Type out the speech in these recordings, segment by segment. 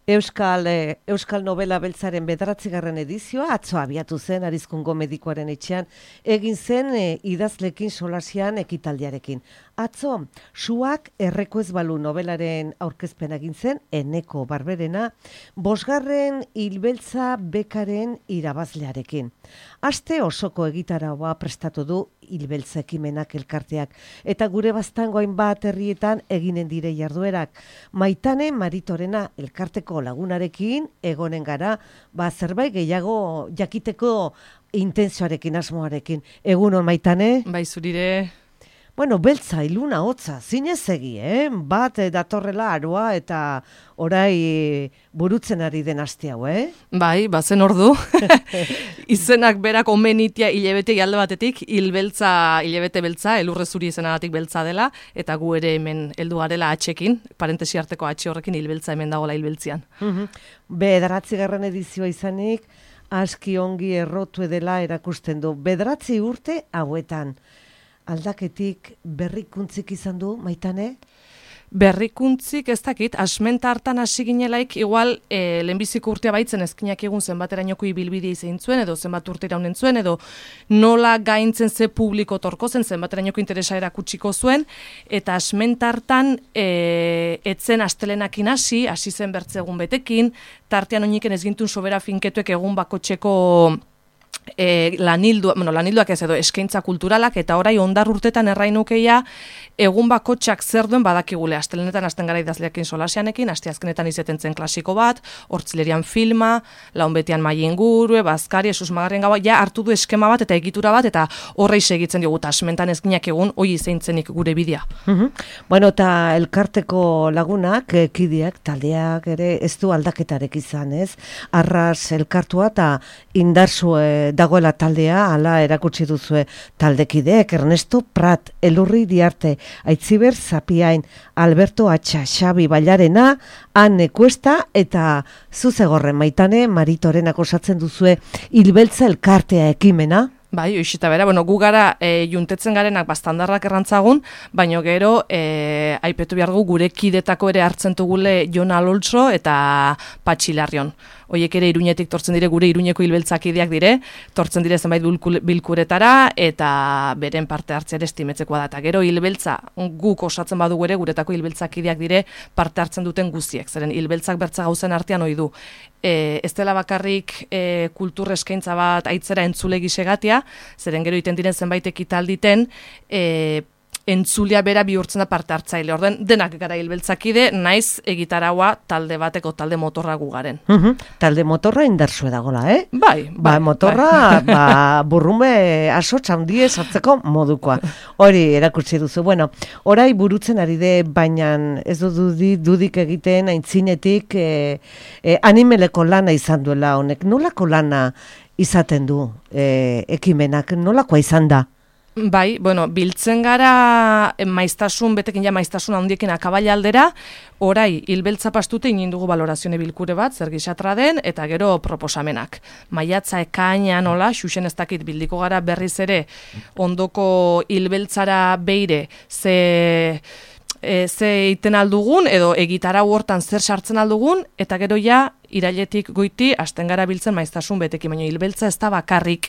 Euskal Novela Beltzaren 9. edizioa atzo abiatu zen Arizkungo Medikuaren etxean, egin zen idazlekin solasian ekitaldiarekin. Atzo, Suak erreko ez balu novelaren aurkezpen egin zen, Eneko Barberena, 5. Hilbeltza bekaren irabazlearekin. Aste osoko egitaraua prestatu du Hilbeltza ekimenak elkarteak, eta gure baztango hainbat herrietan eginen dire jarduerak. Maitane Maritorena elkarteko lagunarekin egonen gara, zerbait gehiago jakiteko intentzioarekin, asmoarekin. Egunon, Maitane? Bai, zurire. Bueno, beltza, iluna, hotza, zinez egi, bat datorrela aroa eta orai burutzen ari den aste hau, Bai, bazen ordu. Izenak berak omenitia hilebete alde batetik, hilebete beltza, elurre zuri izenagatik beltza dela, eta gu ere hemen heldu garela atxekin, parentesi arteko atxe horrekin hilbeltza hemen dagoela hilbeltzian. 9. edizioa izanik, aski ongi errotu edela erakusten du. 9 urte hauetan. Aldaketik berrikuntzik izan du, Maitane? Berrikuntzik ez dakit, asmenta hartan hasi ginelaik, igual lehenbiziko urtea baitzen ezkinak egun zenbaterainoko ibilbidea izan zuen, edo zenbat urte iraunen zuen, edo nola gaintzen ze publiko torko zen, zenbaterainoko interesa erakutsiko zuen, eta asmenta hartan etzen astelenakin hasi zen bertzegun betekin, tartean oiniken ez gintun sobera finketuek egun bakotxeko lanilduak ez edo eskaintza kulturalak, eta orai ondar urtetan errainukeia egun bakotxak zer duen badakigule. Astelenetan hasten gara idazleakin solasianekin, asteazkenetan izeten zen klasiko bat, hortzilerian filma, launbetean mai ingurue, bazkari, esusmagarrien gaua, ja hartu du eskema bat eta egitura bat, eta horrei segitzen diogu, asmentan ezkinak egun hoi izeinitzenik gure bidea. Bueno, eta elkarteko lagunak, kideak, taldeak ere ez du aldaketarek izan, ez? Arras elkartua eta indarzue dagoela taldea, hala erakutsi duzue taldekideek, Ernesto Prat, Elurri Diarte, Aitziber Zapiain, Alberto Atxa, Xabi Bailarena, Anne Cuesta eta Zuzegorren, Maitane Maritorenak osatzen duzue Hilbeltza elkartea ekimena. Bai, oixita bera, gu gara juntetzen garenak bastandarrak errantzagun, baina gero aipetu behar gu gure kidetako ere hartzen dugule Jon Aloltso eta Patxi Larrion. Hoiek ere Iruñetik tortzen dire, gure Iruñeko hilbeltzakideak dire, tortzen dire zenbait bilkuretara, eta beren parte hartzea ere estimetzekoa da. Eta gero hilbeltza guk osatzen badugu ere, guretako hilbeltzakideak dire parte hartzen duten guztiek. Zeren hilbeltzak bertza gauzen artean ohi du. Ez dela bakarrik kultur eskaintza bat aitzera entzule gisegatia, zeren gero iten diren zenbait ekitalditen, entzulia bera bihurtzen da parte hartzaile. Orden denak gara hilbeltzakide, naiz egitaraua talde bateko talde motorra gu garen. Talde motorra indarzue dagola, Bai. Motorra, burrume asotz handie sartzeko modukoa. Hori erakutsi duzu. Bueno, orai burutzen ari de, baina ez dudik egiten aintzinetik animeleko lana izan duela honek. Nolako lana izaten du ekimenak? Nolakoa izan da? Bai, biltzen gara betekin maiztasun handiekin akabaila aldera, orai hilbeltza pastute inin dugu balorazione bilkure bat, zer gisatra den, eta gero proposamenak. Maiatza ekaina nola, xuxen ez dakit bildiko gara berriz ere, ondoko hilbeltzara beire, ze iten aldugun, edo egitarau hortan zer sartzen aldugun, eta gero ja, irailetik goiti, hasten gara biltzen maiztasun betekin, baina hilbeltza ez da bakarrik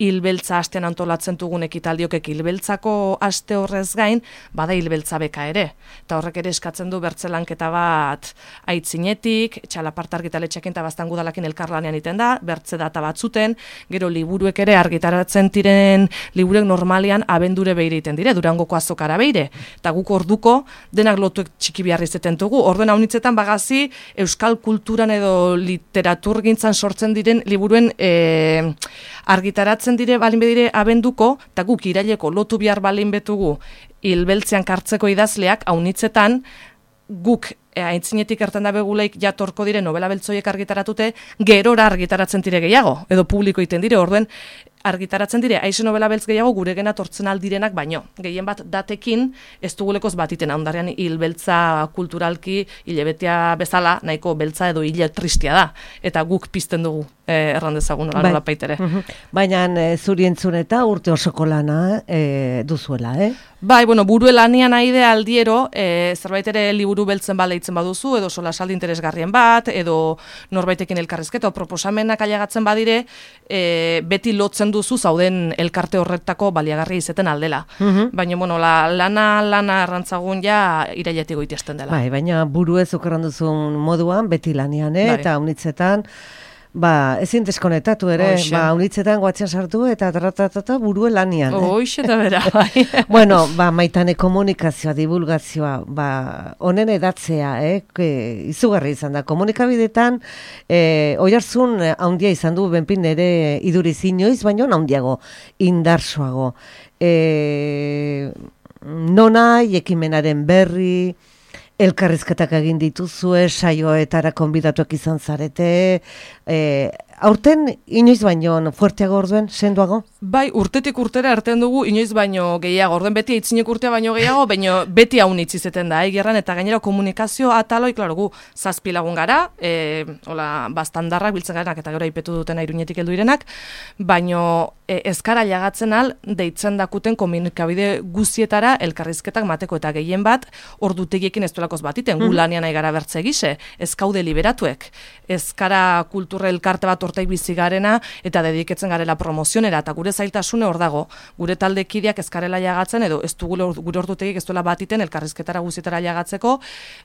hilbeltza astean antolatzen dugun ekitaldiokek hilbeltzako aste horrez gain, bada hilbeltza beka ere. Eta horrek ere eskatzen du bertzelanketa bat aitzinetik, txalaparta argitaletxekin eta bastan gudalakin elkarlanean iten da, bertze data batzuten, gero liburuek ere argitaratzen diren liburuek normalian abendure beire iten dire, Durangoko azokara beire. Eta guk orduko denak lotuek txiki biharri zeten dugu. Orduen haunitzetan bagazi euskal kulturan edo literaturgintzan sortzen diren liburuen argitaratzen dire balin bedire abenduko, eta guk iraileko lotu bihar balin betugu hilbeltzean kartzeko idazleak, haunitzetan guk aintzinetik ertan da beguleik jatorko dire novela beltzoiek argitaratute, gerora argitaratzen dire gehiago, edo publiko iten dire, orduen argitaratzen dire, aize novela beltz gehiago gure gena tortzen aldirenak baino. Gehien bat datekin ez dugulekoz batiten, ondarean hil beltza kulturalki, hilebetea bezala, nahiko beltza edo hile tristia da. Eta guk pizten dugu, errandezagun nola paitere. Baina zuri entzun eta urte osoko lana duzuela, Bai, burue lanian aide aldiero, zerbait ere liburu beltzen baleitzen baduzu, edo solasaldi interesgarrien bat, edo norbaitekin elkarrizketa, o proposamenak ailegatzen badire, beti lotzen duzu zauden elkarte horretako baliagarri izeten aldela. Baina, lana arrantzagun ja irailetik goitiesten dela. Bai, baina buruez okerran duzun moduan, beti lanian, eta unitzetan, ezin deskonetatu ere, unitzetan guatzen sartu eta tratatata burue lanian. Hoxe eta bera, bai. Bueno, maitane komunikazioa, divulgazioa, honen edatzea, izugarri izan da. Komunikabidetan, oihartzun haundia izan du benpin ere iduriz inoiz, baina haundiago, indarsoago. Nonai, ekimenaren berri, elkarrizketak egin dituzue, saioetara konbidatuak izan zarete, aurten inoiz baino fuerteago orduen, senduago? Bai, urtetik urtera artean dugu inoiz baino gehiago, orduen beti aitzinek urtea baino gehiago, baino beti haunitz izeten da, gerran, eta gainera komunikazio ataloi, klaro, gu zazpilagun gara, bastandarrak biltzen garenak, eta gero aipetu dutena Iruñetik heldu direnak, baino ezkara jagatzen al, deitzen dakuten komunikabide guzietara elkarrizketak mateko, eta gehien bat, ordutegiekin ez duelakoz batiten, gu lanian aigara bertze gise, ez kaude liberatuek, ezkara kultura elkarte bat hortaik bizi garena, eta dediketzen garela promozionera, eta gure zailtasune hor dago, gure taldekideak ezkarela jagatzen, edo ez du gure ordutegik ez duela batiten elkarrizketara guzietara jagatzeko,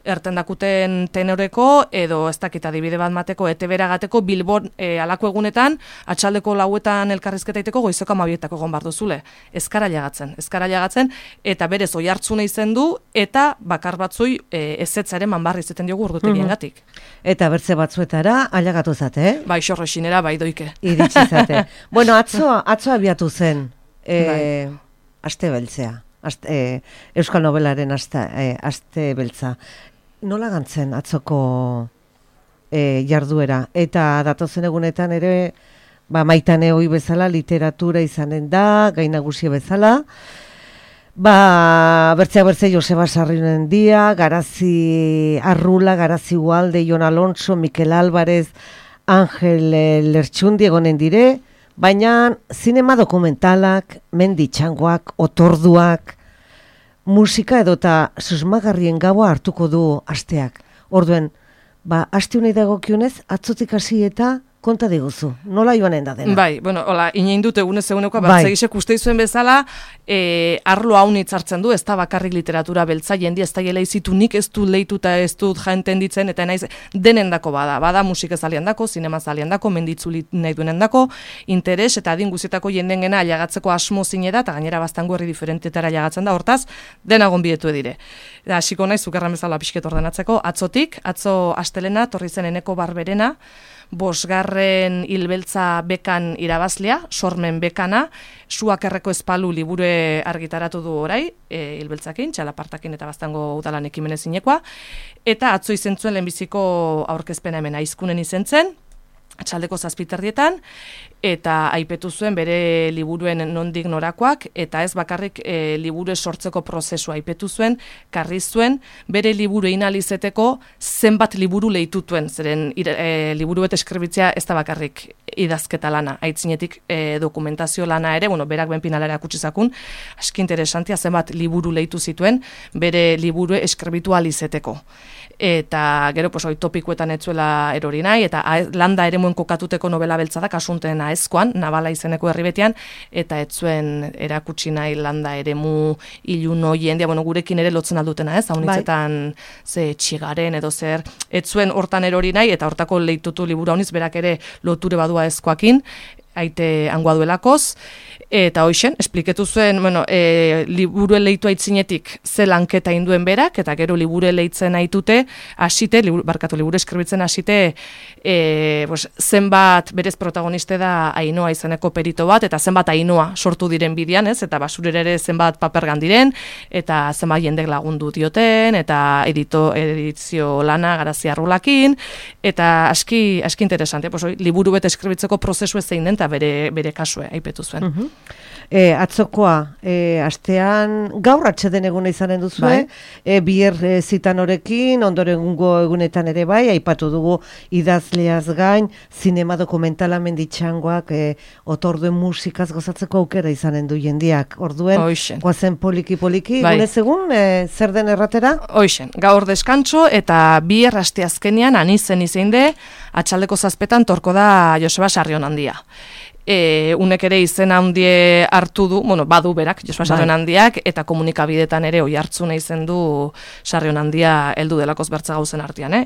ertendakuten tenoreko, edo ez dakit adibide bat mateko, etebera gateko, Bilbon alako egunetan, atxaldeko lauetan elkarrizketa iteko, goizeko 12etako egon bar duzule. Ezkara jagatzen, eta berez oihartzuna izen du, eta bakar batzui ezetzaren manbarri izeten diogu ordutegiengatik. Eta bertze batzuetara ailegatu zate, Bai, xorroxinera, bai doike. Iritsi zate. Bueno, atzo abiatu zen aste beltzea. Euskal Nobelaren aste beltza. Nola gantzen atzoko jarduera? Eta datozen egunetan ere, maitane hoi bezala, literatura izanen da, gai nagusi bezala, bertzea Joseba Sarrionen dia, Garazi Arrula, Garazi Ualde, Jon Alonso, Mikel Álvarez, Angel Lertxundi egonen dire, baina zinema dokumentalak, menditxangoak, otorduak, musika edota susmagarrien gaua hartuko du asteak. Orduen, aste honei dagokionez, atzotik hasi eta konta diguzu, nola joanen da dena? Bai, inein dut egunez eguneko, bertzegisek uste izuen bezala, arlo haunitz hartzen du, ez da bakarrik literatura beltza, jendi ez da gela izitu nik ez dut lehituta ez dut jaenten ditzen, eta naiz denendako bada musika zalian dako, zinema zalian dako, menditzuli nahi duenen dako, interes eta adin guzietako jenden gena ailegatzeko asmo zine da, eta gainera bastango herri diferentetara ailegatzen da, hortaz, denagon bietu edire. Hasiko naiz, zukerran bezala pixket ordenatzeko, atzo astelena, torri zen Eneko Barberena, 5. hilbeltza bekan irabazlea, sormen bekana, Suak erreko espalu libure argitaratu du orai, hilbeltzakin, txalapartakin eta bastango udalan ekimenez inekoa, eta atzo izentzuen lehenbiziko aurkezpena hemen aizkunen izentzen, atxaldeko 7:00, eta aipetu zuen bere liburuen nondik norakoak, eta ez bakarrik liburu sortzeko prozesua aipetu zuen, karri zuen, bere liburu inalizeteko zenbat liburu lehitutuen, zeren liburu eta eskribitzea ez da bakarrik idazketa lana, aitzinetik dokumentazio lana ere, berak benpinalara kutsizakun, aski interesantia zenbat liburu lehitu zituen, bere liburu eskribitu alizeteko. Eta gero topikuetan etzuela erori nahi, eta landa ere muen kokatuteko novela beltza da, kasunten aezkoan, Nabala izeneko herribetean, eta etzuen erakutsi nahi landa ere mu ilun hoien, gurekin ere lotzen aldutena ez, haunitzetan ze txigaren edo zer, etzuen hortan erori nahi, eta hortako lehitutu liburu hauniz, berak ere loture badua aezkoakin, aite angoa duelakoz, eta hoixen, espliketu zuen, liburuen lehitu aitzinetik ze lanketa induen berak, eta gero liburu lehitzen aitute, liburu eskribitzen hasite, zenbat berez protagoniste da Ainhoa izeneko perito bat, eta zenbat Ainhoa sortu diren bidean, ez, eta basurera ere zenbat papergan diren, eta zenbat jendek lagundu dioten, eta edizio lana Garazi Arrulakin, eta aski interesante, liburu bete eskribitzeko prozesu ez zein den, eta bere kasue aipetu zuen. Atzokoa, astean gaur atxeden eguna izanen duzue, bier zitan horekin, ondorengo egunetan ere bai, aipatu dugu idazleaz gain, zinema dokumentala menditxangoak, otorduen musikaz gozatzeko aukera izanen du jendiak. Orduen, goazen poliki-poliki, gunez egun, zer den erratera? Hoixen, gaur deskantxo eta bier asteazkenean anizen izeinde, atxaldeko 7 torko da Joseba Sarrionandia. Unek ere izen handie hartu du, badu berak, Joseba Sarrionandiak, eta komunikabidetan ere oi hartzuna izen du Sarrionandia heldu delakoz bertza gauzen artean.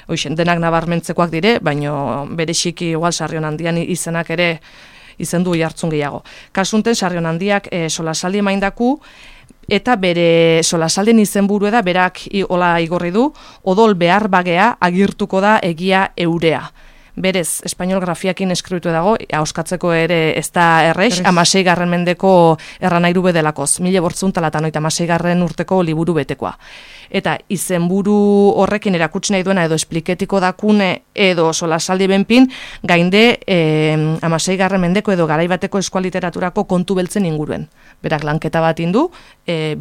Hoixen, denak nabarmentzekoak dire, baino bereziki igual Sarrionandian izenak ere izen du oi hartzun gehiago. Kasunten Sarrionandiak solasaldi emaindaku, eta bere solasalden izenburu da berak hola igorri du, odol behar bagea agirtuko da egia eurea. Berez, espainol grafiakin eskribitu dago, auskatzeko ere ez da errex, 16. mendeko erranairu bedelakoz, 1896 urteko liburu betekoa. Eta izenburu horrekin erakutsi nahi duena edo espliketiko dakune edo solasaldi benpin, gainde 16. mendeko edo garaibateko eskualiteraturako kontu beltzen inguruen. Berak lanketa bat indu,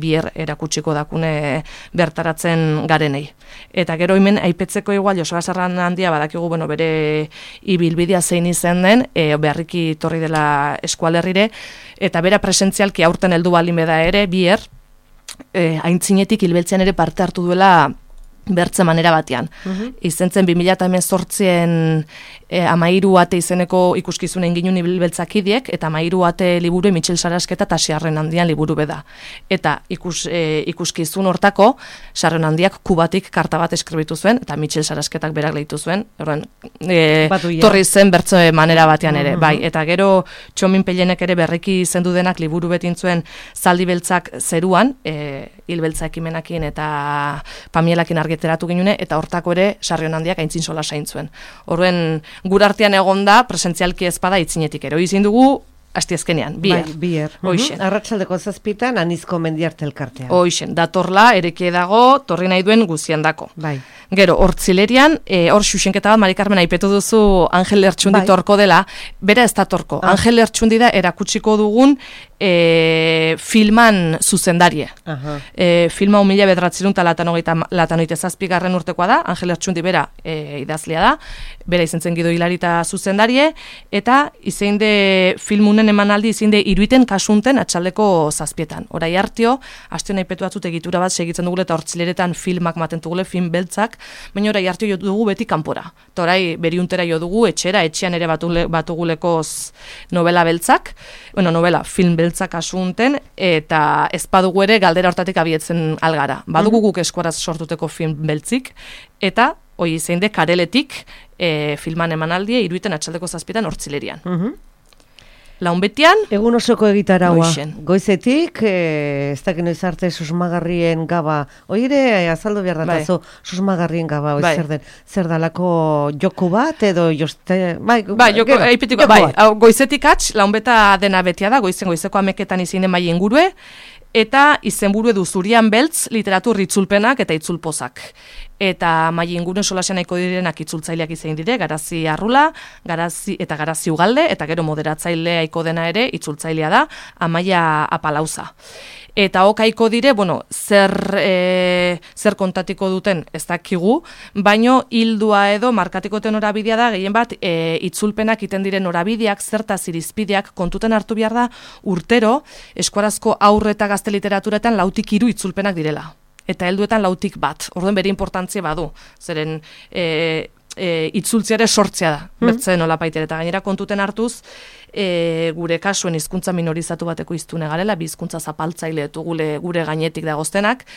bier erakutsiko dakune bertaratzen garenei. Eta gero hemen aipetzeko igual Joseba Sarrionandia badakigu bere ibilbidea zein izen den, beharriki torri dela eskualerrire, eta bera presentzialki aurten heldu balin beda ere, bier, aintzinetik hilbeltzean ere parte hartu duela bertze manera batean. Izentzen 2018an 13 ate izeneko ikuskizunen ginun ibilbeltzakidiek, eta 13 ate liburu Mitxel Sarasketa eta Sarrionandian liburu beda. Eta ikuskizun hortako, Sarrionandiak kubatik karta bat eskribitu zuen, eta Mitxel Sarasketak berak lehitu zuen, torri zen bertze manera batean ere. Bai, eta gero Txomin Pellenek ere berriki izendu denak liburu betintzuen Zaldi beltzak zeruan, hilbeltza ekimenakin eta pamielakin argiteratu ginune, eta hortako ere Sarrionandiak aintzin sola zaintzuen. Horren, gure artean egonda, presentzialki ezpada itzinetik ero. Izin dugu, astiazkenean, bier. Hoixen. Arratsaldeko 7 Anizko Mendiarte elkartea. Hoixen, datorla, erekie dago, torri nahi duen guzian dako. Bai. Gero, hortzilerian, hor xuxenketa bat, Mari Carmen, aipetu duzu Angel Lertxundi torko dela, bera ez da torko. Angel Lertxundi da erakutsiko dugun filman zuzendarie. Filma 1997 urtekoa da, Angel Lertxundi bera idazlea da, bera izentzen Gido Hilarita zuzendarie, eta izeinde filmunen emanaldi izeinde iruiten kasunten atxaldeko 7. Horai hartio, astion aipetu batzut egitura bat segitzen dugule eta hortzileretan filmak maten dugule, film beltzak, baina orai hartio jo dugu beti kanpora. Eta orai beriuntera jo dugu, etxean ere batugulekoz novela beltzak, novela film beltzak asunten, eta ez badugu ere galdera hortatik abietzen algara. Badugu guk eskuaraz sortuteko film beltzik, eta hoi zeinde kareletik filman emanaldia iruiten atxaldeko 7 hortzilerian. Launbetian? Egun osoko egitaraua. Goizetik, ez dakin noiz arte susmagarrien gaba. Oire, azaldu behar datazo, susmagarrien gaba, zer dalako joku bat, edo joste... Goizetik atx, launbeta dena betia da, goizeko ameketan izin den bai ingurue, eta izenburu edu Zurian beltz, literatur itzulpenak eta itzulpozak. Eta mai inguruen solasean nahiko direnak itzultzaileak izein dire, Garazi Arrula, Garazi Ugalde, eta gero moderatzaile aiko dena ere itzultzailea da, Amaia Apalauza. Eta okaiko dire, zer kontatiko duten ez dakigu, baino hildua edo markatikoten norabidea da, gehien bat itzulpenak iten diren norabideak, zertaz irizpideak kontuten hartu behar da, urtero, eskuarazko aurre eta gazte literaturetan 2-3 itzulpenak direla. Eta helduetan 2-1. Orduan bere importantzia badu. Zeren itzultziare sortzea da, bertze nolapaitere. Eta gainera kontuten hartuz, gure kasuen hizkuntza minorizatu bateko hiztune garela, bi hizkuntza zapaltzaile gure gainetik dagoztenak,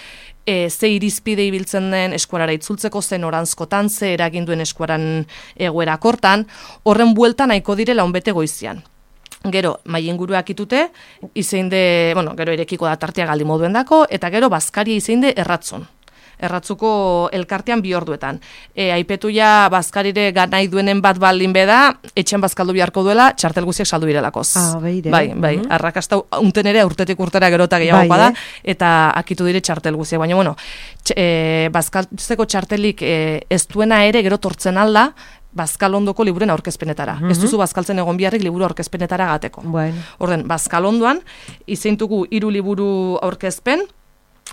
ze irizpide ibiltzen den eskuarara itzultzeko, ze noranzkotan, ze eraginduen eskuaran egoerakortan, horren bueltan nahiko dire launbete goizian. Gero, mai inguruak itute, izeinde, gero erekiko da tartea galdi moduen dako, eta gero bazkaria izeinde erratzun. Erratzuko elkartean 2 orduetan. Aipetu ja bazkarire nahi duenen bat baldin beda, etxean bazkaldu beharko duela, txartel guziak saldu birelakoz. Bai, arrakasta unten ere urtetik urtera gero eta gehiagoa da, eta akitu dire txartel guziak. Baina, bazkaltzeko txartelik ez duena ere gero tortzen alda, Bazkalondoko liburen aurkezpenetara. Ez duzu bazkaltzen egon biharrik liburu aurkezpenetara gateko. Bueno. Orden, Bazkalondoan, izeintugu 3 liburu aurkezpen,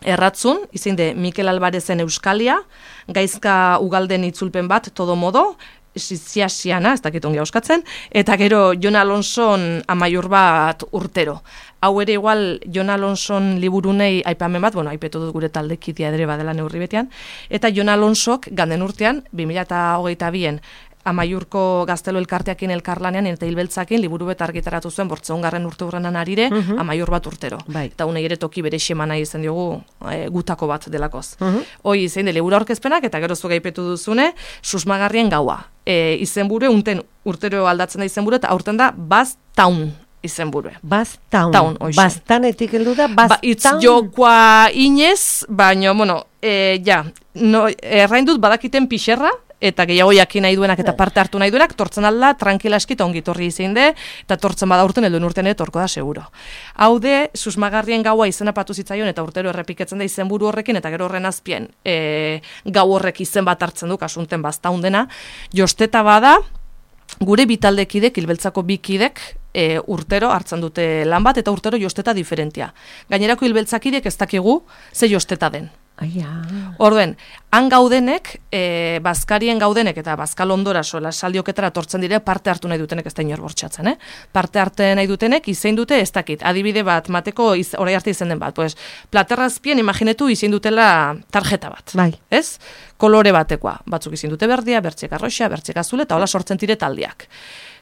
erratzun, izinde Mikel Albarezen Euskalia, Gaizka Ugalden itzulpen bat, todo modo, Siasiana, ez dakit ongi auskatzen, eta gero Jon Alonson Amaiur bat urtero. Hau ere igual Jon Alonson liburunei aipamen bat, aipetu dut gure taldekidea ere badela neurri betean, eta Jon Alonsok ganden urtean, 2022an, Amaiurko Gaztelo elkarteakin elkarlanean eta hilbeltzakin liburu bet argitaratu zuen 800. urte hurrenan arire Amaiur bat urtero. Bai. Eta unei ere toki bere xemana izen diogu gutako bat delakoz. Hoi zein de liburu aurkezpenak eta gero zuga aipetu duzune Susmagarrien gaua. Izenburu unten urtero aldatzen da izenburu eta aurten da Baztaun izenburue. Baztaun. Baztanetik heldu da Baztaun. Itz jokoa inez, baina, errain dut badakiten pixerra, eta gehiago jakin nahi duenak eta parte hartu nahi duenak, tortzen alda, tranquilaski eta ongi torri izin de, eta tortzen bada urten, helduen urtean torko da seguro. Hau de, Susmagarrien gaua izena patu zitzaion, eta urtero errepiketzen da izenburu horrekin, eta gero horren azpien gau horrek izen bat hartzen du, kasunten Baztaun dena, josteta bada, gure bitaldekidek, hilbeltzako bikidek, urtero hartzen dute lan bat, eta urtero josteta diferentia. Gainerako hilbeltzakidek ez dakigu ze josteta den. Orduen, han gaudenek, Bazkarien gaudenek eta Bazkalondora sola saldioketara tortzen dire parte hartu nahi dutenek ez da inor bortxatzen, Parte hartu nahi dutenek izein dute ez dakit, adibide bat, mateko orai arte izen den bat, platerrazpien imaginetu izein dutela tarjeta bat, ez? Kolore batekoa, batzuk izein dute berdia, bertxek arroxa, bertxek azule, eta hola sortzen dire taldeak.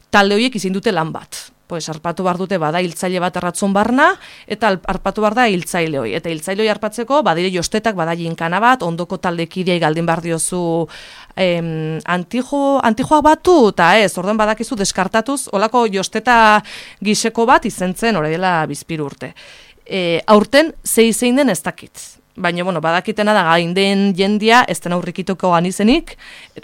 Talde horiek izein dute lan bat. Arpatu behar dute bada hiltzaile bat erratzun barna, eta arpatu behar da hiltzaile hoi. Eta hiltzaile hoi arpatzeko, badire jostetak, bada jinkana bat, ondoko taldekidei galdin behar diozu antijoak batu, eta orduan badakizu deskartatuz, olako josteta giseko bat izentzen, hori dela bizpiru urte. Aurten, zein den ez dakit. Baina, badakitena da gain den jendia, ez den aurrikituko ganizenik,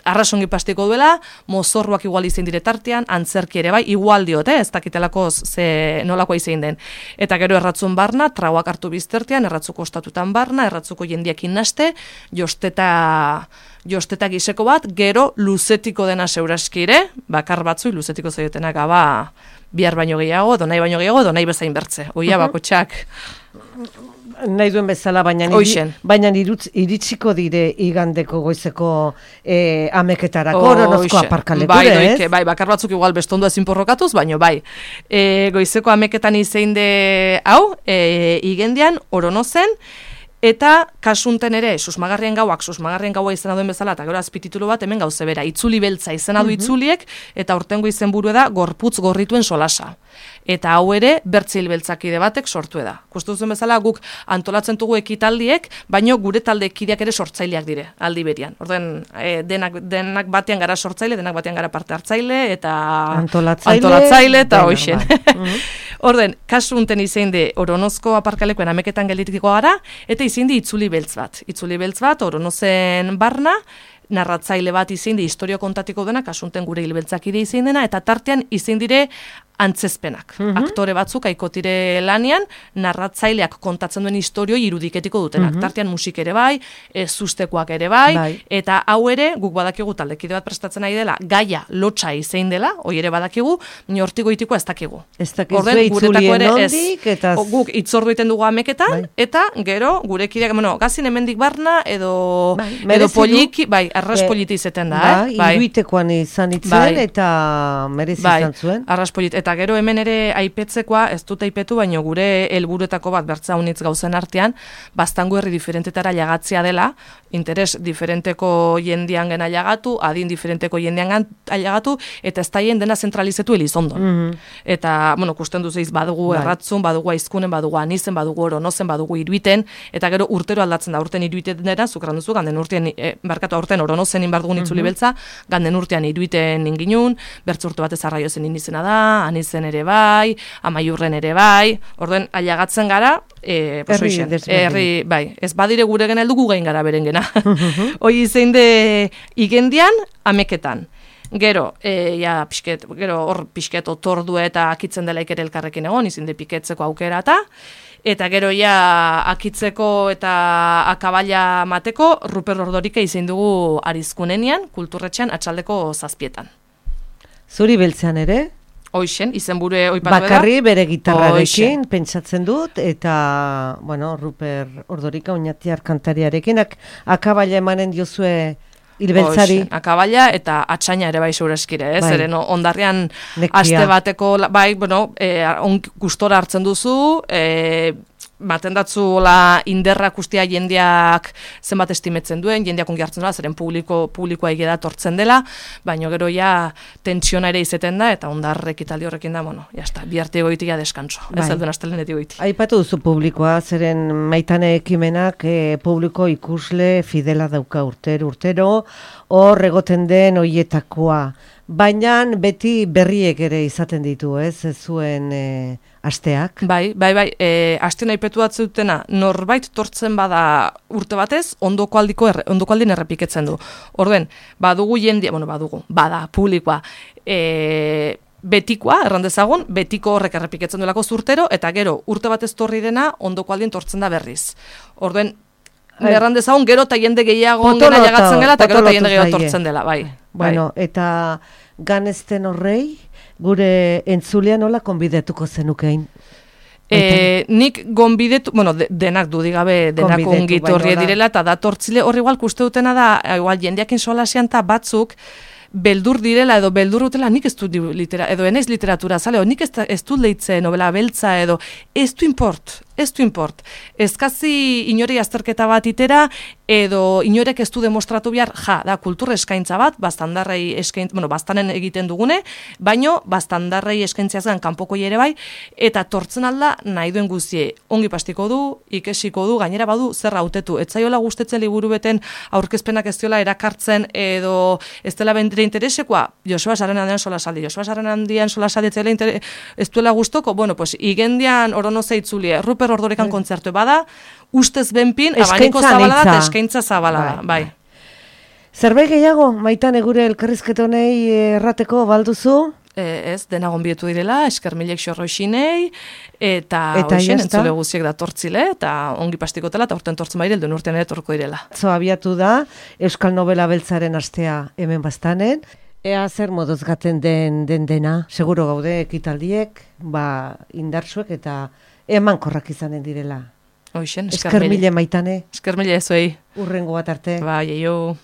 arrasongi pastiko duela, mozorroak igual izein dire tartean, antzerki ere bai, igual diot, ez dakitelako nolakoa izein den. Eta gero erratzun barna, trauak hartu biztertean, erratzuko ostatutan barna, erratzuko jendiak innaste, josteta giseko bat, gero luzetiko dena seuraski ere, bakar batzui luzetiko zaiotenak bihar baino gehiago, donai baino gehiago, donai bezain bertze. Oia, bakotxak. Nahi duen bezala, baina iritsiko dire igandeko goizeko ameketarako, Oronozko aparkalekure, ez? Bai, bakar batzuk igual bestondua ezin porrokatuz, baina bai. Goizeko ameketan izein de hau, igendian, Oronozen, eta kasunten ere, Susmagarrien gaua izena duen bezala, eta gero azpititulu bat hemen gauze bera, itzuli beltza izena du itzuliek, eta urtengo izenburua da gorputz gorrituen solasa. Eta hau ere, bertzil beltzakide batek sortu da. Kustu duzen bezala, guk antolatzen dugu ekitaldiek, baino gure taldekideak ere sortzaileak dire, aldi berian. Orden, denak batean gara sortzaile, denak batean gara parte hartzaile, eta antolatzaile, eta hoxen. Orden, kasu unten izein de Oronozko aparkalekoen ameketan gelditiko gara, eta izein de itzuli beltz bat. Itzuli beltz bat, Oronozen barna, narratzaile bat izein de historio kontatiko dena, kasunten gure hilbeltzakide izein dena, eta tartean izein dire antzezpenak. Aktore batzuk aikotire lanian, narratzaileak kontatzen duen historioi irudiketiko dutenak. Tartean musik ere bai, sustekoak ere bai, eta hau ere, guk badakigu taldekide bat prestatzen nahi dela, gaia lotxa izein dela, hoi ere badakigu, hortiko itiko ez dakigu. Ez dakizu itzulien nondik, eta... Guk itzordu iten dugu ameketan, eta gero, gure kideak, gazin hemendik barna, edo poliki, arras politi izeten da, iruitekoan izan itzen, eta merezi izan zuen. Arras politi, eta gero hemen ere aipetzekoa, ez dut aipetu, baino gure helburuetako bat bertza unitz gauzen artean, Baztango herri diferentetara jagatzea dela, interes diferenteko jendian gena jagatu, adin diferenteko jendian jagatu, eta ez daien dena zentralizetu Elizondon. Eta, kusten duzeiz, badugu erratzun, badugu aizkunen, badugu anizen, badugu Oronozen, badugu iruiten, eta gero urtero aldatzen da, urten iruiten dena, zukran duzu, ganden urtean, barkatu aurten Oronozen inbardugun itzuli beltza, ganden urtean iruiten inginun, bertzu urte batez arraiozen inizena da, anizen ere bai, Amaiurren ere bai, orduen aiagatzen gara, herri, bai, ez badire gure gena heldu gu gain gara beren gena. Hoi izein de igendian, ameketan. Gero, hor pixket otordu eta akitzen dela ere elkarrekin egon, izin de piketzeko aukera eta, Eta gero ja akitzeko eta akabala mateko Ruper Ordorika izin dugu Arizkunenian, kulturretxean atxaldeko 7:00. Zuri beltzean ere? Hoixen, izenburu oipatu da. Bakarri bere gitarrarekin pentsatzen dut, eta, bueno, Ruper Ordorika oinatiar kantariarekin, akabala emanen diozue hilbeltzari. Akabala eta atxaina ere bai segurazkire, Bai. Zeren ondarrian Nekia. aste bateko, bai, bueno, gustora hartzen duzu, baten datzuela inderrak ustea jendeak zenbat estimetzen duen, jendeak ongi hartzen duela, zeren publikoa egeda tortzen dela, baina gero ja tentsiona ere izeten da, eta ondarrek italdi horrekin da, bueno, jazta, biharte egoiti ja deskanso, ez alduen astelenetik egoiti. Aipatu duzu publikoa, zeren Maitane ekimenak publiko ikusle fidela dauka urtero, hor egoten den hoietakoa. Baina beti berriek ere izaten ditu, ez zuen asteak. Bai, aste nahi petu atzutena, norbait tortzen bada urte batez, ondoko aldien errepiketzen du. Orduen, badugu jendia, bada publikoa, betikoa, errandezagun, betiko horrek errepiketzen duelako zurtero, eta gero urte batez torri dena, ondoko aldien tortzen da berriz. Orduen, errandezagun, gero eta jende gehiago gena jagatzen gela, eta gero eta jende gehiago tortzen dela, bai. Bueno, eta ganezten horrei, gure entzulean nola konbidetuko zenukein? Nik gonbidetu, denak dudigabe, denak ongit horri direla, eta datortzile horri igual kuste dutena da, igual jendeakin solasian eta batzuk, beldur direla edo beldur dutela, nik ez dut edo enaiz literatura, zale, nik ez dut leitze novela beltza edo, ez du import. Ezkazi inori azterketa bat itera, edo inorek ez du demostratu behar, da, kultur eskaintza bat, bastandarrei bastanen egiten dugune, baino, bastandarrei eskaintziazgan kanpoko ere bai, eta tortzen alda nahi duen guzie, ongi pastiko du, ikesiko du, gainera badu zer hautetu. Ez zaiola gustetzen liburu beten aurkezpenak ez diola erakartzen, edo ez dela bendire interesekoa, Joseba Sarrenandian solasaldi, ez duela gustoko, pues igendian oronoze itzulie, Ruper Ordorikan kontzertu bada, ustez benpin, abaniko zabala da, eta eskaintza zabala da, bai. Zerbait gehiago, Maitane gure elkarrizketonei errateko balduzu? Ez, dena gonbietu direla, eskermilek xorroixinei, eta hoxen entzule guziek da tortzile, eta ongi pastikotela, eta urten tortzen baire, elduen urtean ere torko direla. Abiatu da, Euskal Nobela Beltzaren astea hemen bastanen, ea zer moduz gaten dena, seguro gaude ekitaldiek, indartsuek eta emankorrak izanen direla. Hoxen, eskermile Maitane. Eskermile ezuei. Urrengo bat arte. Bai, eio.